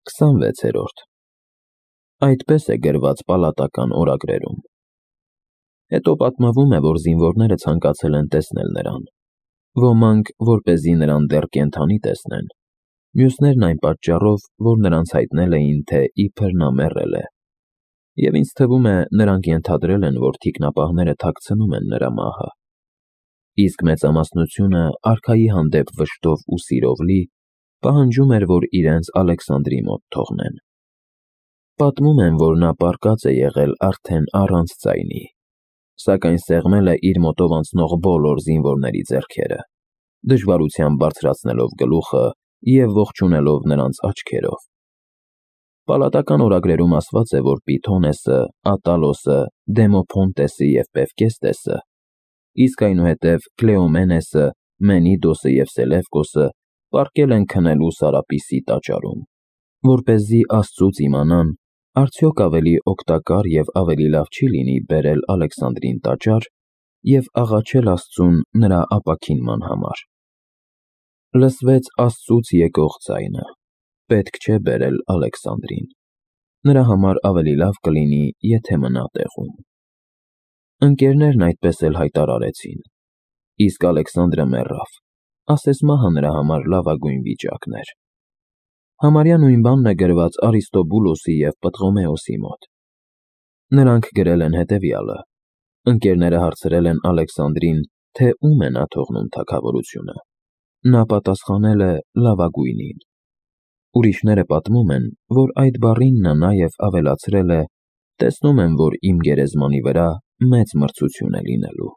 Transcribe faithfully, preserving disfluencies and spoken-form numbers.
քսանվեցերորդ Այդպես է գրված պալատական օրագրերում։ Հետո պատմվում է, որ զինվորները ցանկացել են տեսնել նրան, ոմանք, որպեսզի նրան դեռ կենդանի տեսնեն, մյուսներն այն պատճառով, որ նրանց հայտնել էին, թե իբր նա մեռել է, և ինձ թվում է, նրանք ենթադրել են, որ թիկնապահները թաքցնում են նրա մահը, իսկ մեծամասնությունը, արքայի հանդեպ վշտով ու սիրով լի, պահանջում էր, որ իրենց Ալեքսանդրի մոտ թողնեն։ Պատմում են, որ նա պառկած է եղել արդեն առանց ձայնի, սակայն սեղմել է իր մոտով անցնող բոլոր զինվորների ձեռքերը, դժվարությամբ բարձրացնելով գլուխը և ողջունելով նրանց աչքերով։ Պալատական օրագրերում ասված է, որ Պիթոնեսը, Ատալոսը, Դեմոփոնտեսը և Պևկեստեսը, իսկ այնուհետև Կլեոմենեսը, Մենիդոսը և Սելևկոսը պառկել են քնելու Սարապիսի տաճարում, որպեսզի Աստծուց իմանան, արդյոք ավելի օգտակար և ավելի լավ չի լինի բերել Ալեքսանդրին տաճար և աղաչել Աստծուն նրա ապաքինման համար։ Լսվեց Աստծուց եկող ձայնը. պետք չէ բերել Ալեքսանդրին, նրա համար ավելի լավ կլինի, եթե մնա տեղում։ Ընկերներն այդպես էլ հայտարարեցին, իսկ Ալեքսանդրը մեռավ, ասես մահը նրա համար լավագույն վիճակն էր։ Համարյա նույն բանն է գրված Արիստոբուլոսի և Պտղոմեոսի մոտ։ Նրանք գրել են հետևյալը. ընկերները հարցրել են Ալեքսանդրին, թե ում է նա թողնում թագավորությունը։ Նա պատասխանել է լավագույնին։ Ուրիշները պատմում են, որ այդ բառին նա նաև ավելացրել է. տեսնում եմ, որ իմ գերեզմանի վրա մեծ մրցություն է լինելու։